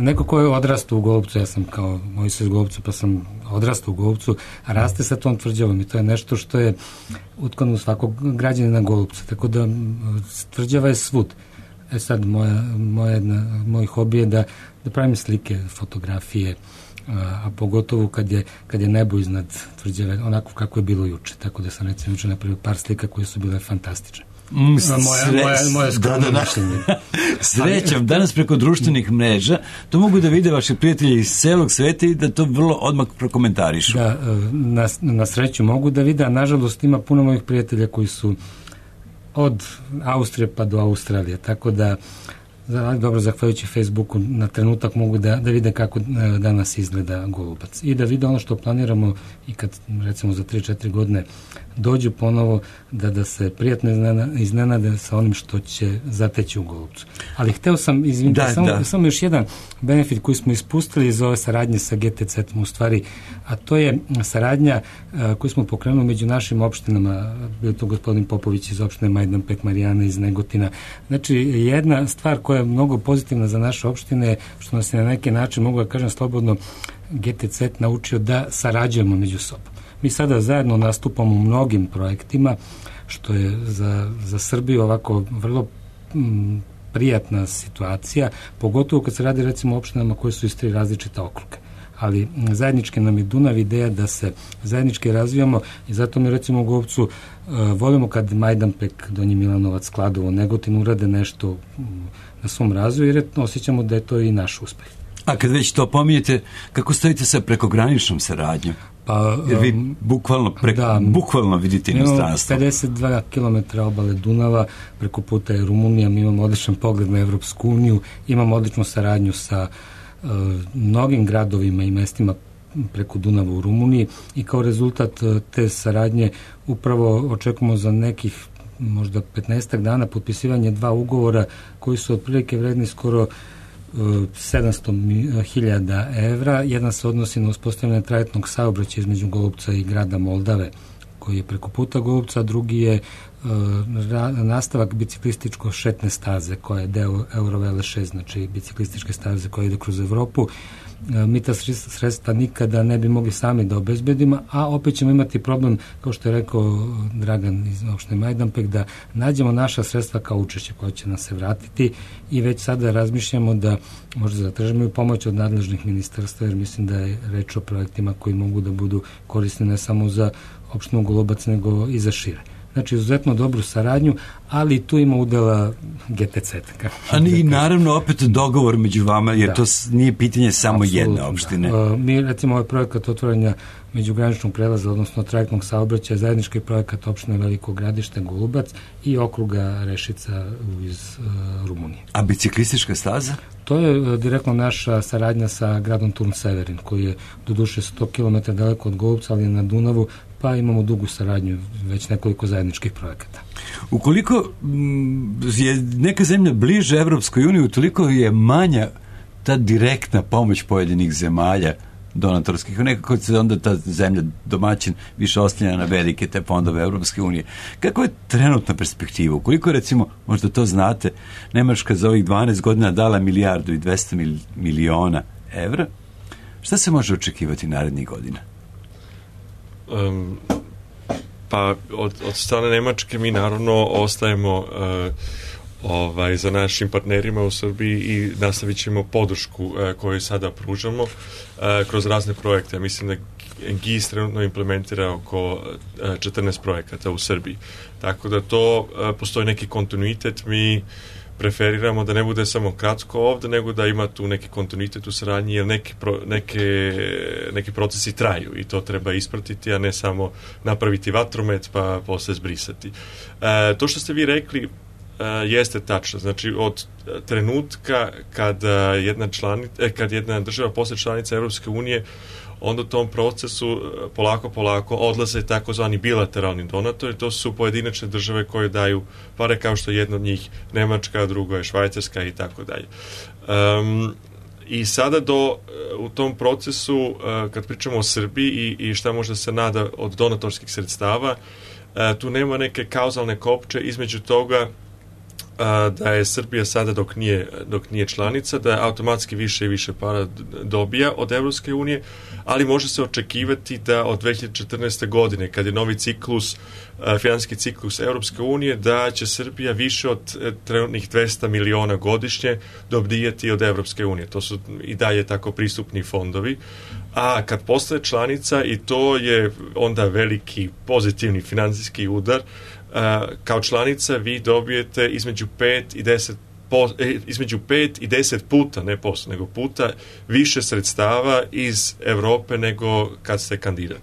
neko ko je odrastao u Golubcu, ja sam kao moj se iz Golubcu, pa sam odrasta u Golupcu, raste sa tom tvrđavom i to je nešto što je utkano u svakog građanina Golupca, tako da tvrđava je svud. E sad, moja, moja, moj hobi je da, da pravim slike, fotografije, a, a pogotovo kad je, kad je nebo iznad tvrđave, onako kako je bilo juče, tako da sam recimo juče napravio par slika koje su bile fantastične. Mm, moja, sre... moja, moja skromna da, da, mišljenje. Srećom, danas preko društvenih mreža to mogu da vide vaši prijatelji iz celog sveta i da to vrlo odmah prokomentarišu. Da, na, na sreću mogu da vide, a nažalost ima puno mojih prijatelja koji su od Austrije pa do Australije, tako da dobro, zahvaljujući Facebooku na trenutak mogu da, da vide kako danas izgleda Golubac i da vide ono što planiramo i kad recimo za tri četiri godine dođu ponovo da, da se prijatno iznenade sa onim što će zateći u Golubcu. Ali hteo sam, izvinite, da, samo, da. samo još jedan benefit koji smo ispustili iz ove saradnje sa G T C-om u stvari, a to je saradnja a, koju smo pokrenuli među našim opštinama, bio to gospodin Popović iz opštine Majdanpek, Marijana iz Negotina. Znači, jedna stvar koja je mnogo pozitivna za naše opštine, što nas je na neki način, mogu da kažem slobodno, G T C naučio da sarađujemo među sobom. Mi sada zajedno nastupamo u mnogim projektima, što je za, za Srbiju ovako vrlo m, prijatna situacija, pogotovo kad se radi recimo o opštinama koje su iz tri različita okruga. Ali zajednički nam je Dunav ideja da se zajednički razvijamo i zato mi recimo u Golupcu uh, volimo kad Majdanpek, Donji Milanovac, Kladovo, Negotin urade nešto um, na svom razvoju jer osjećamo da je to i naš uspeh. A kad već to pominjete, kako stojite sa prekograničnom saradnjom? Pa, jer vi bukvalno, preko, da, bukvalno vidite inostranstvo. pedeset dva kilometra obale Dunava, preko puta je Rumunija, mi imamo odličan pogled na Evropsku uniju, imamo odličnu saradnju sa uh, mnogim gradovima i mestima preko Dunava u Rumuniji i kao rezultat uh, te saradnje upravo očekujemo za nekih možda petnaestak dana potpisivanje dva ugovora koji su otprilike vredni skoro sedamsto hiljada evra. Jedan se odnosi na uspostavljanje trajektnog saobraćaja između Golupca i grada Moldave, koji je preko puta Golupca, a drugi je uh, ra, nastavak biciklističko šetne staze, koja je deo Eurovele šest, znači biciklističke staze koja ide kroz Evropu. Uh, mi ta sredstva nikada ne bi mogli sami da obezbedimo, a opet ćemo imati problem, kao što je rekao Dragan iz opštine Majdanpek, da nađemo naša sredstva kao učešće koja će nam se vratiti i već sada razmišljamo da možda zatražimo i pomoć od nadležnih ministarstva, jer mislim da je reč o projektima koji mogu da budu korisni ne samo za opštinu Golubac, nego i za šire. Znači, izuzetno dobru saradnju, ali tu ima udela G T C. A i naravno opet dogovor među vama, jer da. To nije pitanje samo Absolutno, jedne opštine. Da. Mi, recimo, ovaj projekat otvaranja međugraničnog prelaza, odnosno trajektnog saobraćaja, zajednički projekat opštine Veliko Gradište, Golubac i okruga Rešica iz uh, Rumunije. A biciklistička staza? To je uh, direktno naša saradnja sa gradom Turn Severin, koji je doduše sto kilometara daleko od Golupca, ali je na Dunavu, pa imamo dugu saradnju, već nekoliko zajedničkih projekata. Ukoliko je neka zemlja bliže Evropskoj uniji, utoliko je manja ta direktna pomoć pojedinih zemalja donatorskih, nekako se onda ta zemlja domaćin više oslanja na velike te fondove Evropske unije. Kako je trenutna perspektiva? Ukoliko recimo, možda to znate, Nemačka za ovih dvanaest godina dala milijardu i dvesta miliona evra, šta se može očekivati narednih godina? Um, pa od, od strane Nemačke mi naravno ostajemo uh, ovaj, za našim partnerima u Srbiji i nastavit ćemo podršku uh, koju sada pružamo uh, kroz razne projekte. Mislim da G I S trenutno implementira oko uh, četrnaest projekata u Srbiji. Tako da to uh, postoji neki kontinuitet. Mi preferiramo da ne bude samo kratko ovde, nego da ima tu neki kontinuitet u saradnji, jer neki, pro, neke, neki procesi traju i to treba ispratiti, a ne samo napraviti vatromet pa posle zbrisati. E, to što ste vi rekli e, jeste tačno. Znači, od trenutka kada jedna, članica, e, kad jedna država postane članica Evropske unije, onda u tom procesu polako, polako odlaze takozvani bilateralni donatori, to su pojedinačne države koje daju pare, kao što je jedna od njih Nemačka, drugo je Švajcarska i tako dalje. Um, I sada do, u tom procesu, uh, kad pričamo o Srbiji i, i šta možda se nada od donatorskih sredstava, uh, tu nema neke kauzalne kopče između toga a, da je Srbija sada dok nije, dok nije članica, da automatski više i više para dobija od Evropske unije, ali može se očekivati da od dve hiljade četrnaeste. godine, kad je novi ciklus, finansijski ciklus Evropske unije, da će Srbija više od trenutnih dvesta miliona godišnje dobijati od Evropske unije. To su i dalje tako pristupni fondovi. A kad postaje članica, i to je onda veliki pozitivni finansijski udar, kao članica vi dobijete između pet i deset Po, između pet i deset puta, ne posto, nego puta više sredstava iz Evrope nego kad ste kandidat.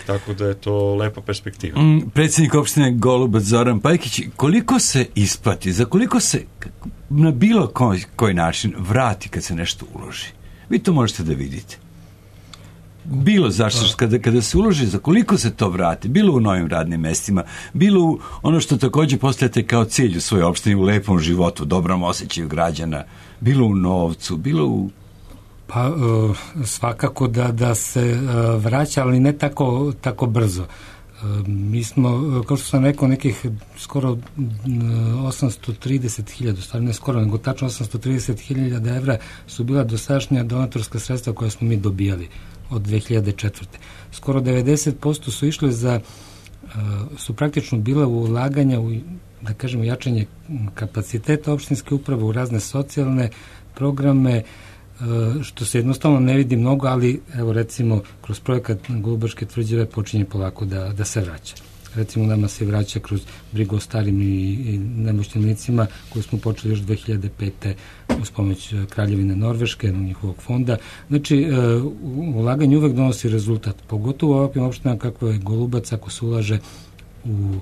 Tako da je to lepa perspektiva. Mm, predsjednik opštine Golubac Zoran Pajkić, koliko se isplati, za koliko se na bilo koji, koji način vrati kad se nešto uloži? Vi to možete da vidite. Bilo zašto, kada, kada se uloži, za koliko se to vrati, bilo u novim radnim mestima, bilo u ono što također postavljate kao cilj u svojoj opštini, u lepom životu, dobrom osjećaju građana, bilo u novcu, bilo u... Pa uh, svakako da, da se uh, vraća, ali ne tako, tako brzo. Uh, mi smo, kao što sam rekao, nekih skoro uh, osamsto trideset hiljada, stvarno ne skoro, nego tačno osamsto trideset hiljada evra su bila dosadašnja donatorska sredstva koja smo mi dobijali od dve hiljade četvrte. Skoro devedeset posto su išle za, su praktično bila u ulaganja u, da kažemo, jačanje kapaciteta opštinske uprave, u razne socijalne programe, što se jednostavno ne vidi mnogo, ali evo recimo kroz projekat Golubačke tvrđave počinje polako da, da se vraća. Recimo nama se vraća kroz brigu o starim i, i nemoćnim licima koju smo počeli još dve hiljade pete uz pomoć Kraljevine Norveške, njihovog fonda. Znači, ulaganje uvek donosi rezultat, pogotovo u ovakvim opštinama kako je Golubac, ako se ulaže u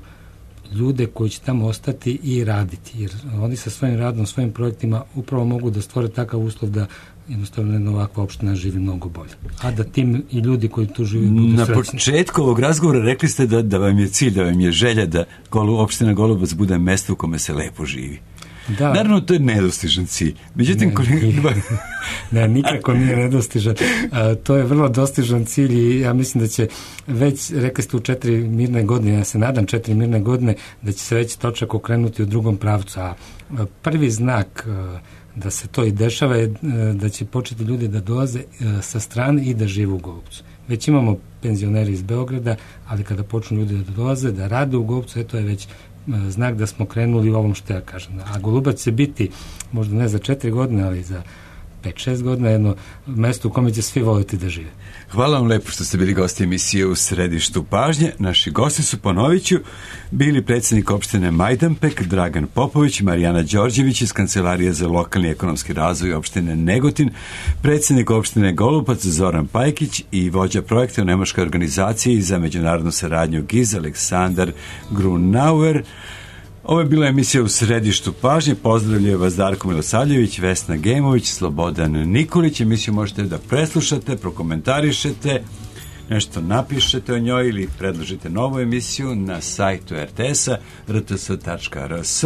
ljude koji će tamo ostati i raditi, jer oni sa svojim radom, svojim projektima upravo mogu da stvore takav uslov da jednostavno jedna ovakva opština živi mnogo bolje. A da tim i ljudi koji tu živi budu Na srećni. početku ovog razgovora rekli ste da, da vam je cilj, da vam je želja da Golu, opština Golubac bude mesto u kome se lepo živi. Da. Naravno, to je nedostižan cilj. Međutim, ne, koliko... ne, nikako nije nedostižan. A, to je vrlo dostižan cilj i ja mislim da će već, rekli ste u četiri mirne godine, ja se nadam četiri mirne godine, da će se već točak okrenuti u drugom pravcu. A, a prvi znak a, da se to i dešava je a, da će početi ljudi da dolaze a, sa strane i da žive u Golubcu. Već imamo penzioneri iz Beograda, ali kada počnu ljudi da dolaze, da rade u Golubcu, to je već znak da smo krenuli u ovom što ja kažem. A Golubac će biti, možda ne za četiri godine, ali za pet šest godina, jedno mesto u kome će svi voliti da žive. Hvala vam lepo što ste bili gosti emisije U središtu pažnje. Naši gosti su, ponovit ću, bili predsjednik opštine Majdanpek Dragan Popović, Marijana Đorđević iz Kancelarije za lokalni ekonomski razvoj opštine Negotin, predsjednik opštine Golubac Zoran Pajkić i vođa projekta u nemačkoj organizaciji za međunarodnu saradnju G I Z Aleksandar Grunauer. Ovo je bila emisija U središtu pažnje. Pozdravljaju vas Darko Milosavljević, Vesna Gemović, Slobodan Nikolić. Emisiju možete da preslušate, prokomentarišete, nešto napišete o njoj ili predložite novu emisiju na sajtu er te es a er te es tačka er es.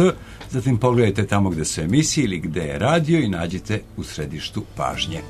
Zatim pogledajte tamo gde su emisije ili gde je radio i nađite U središtu pažnje.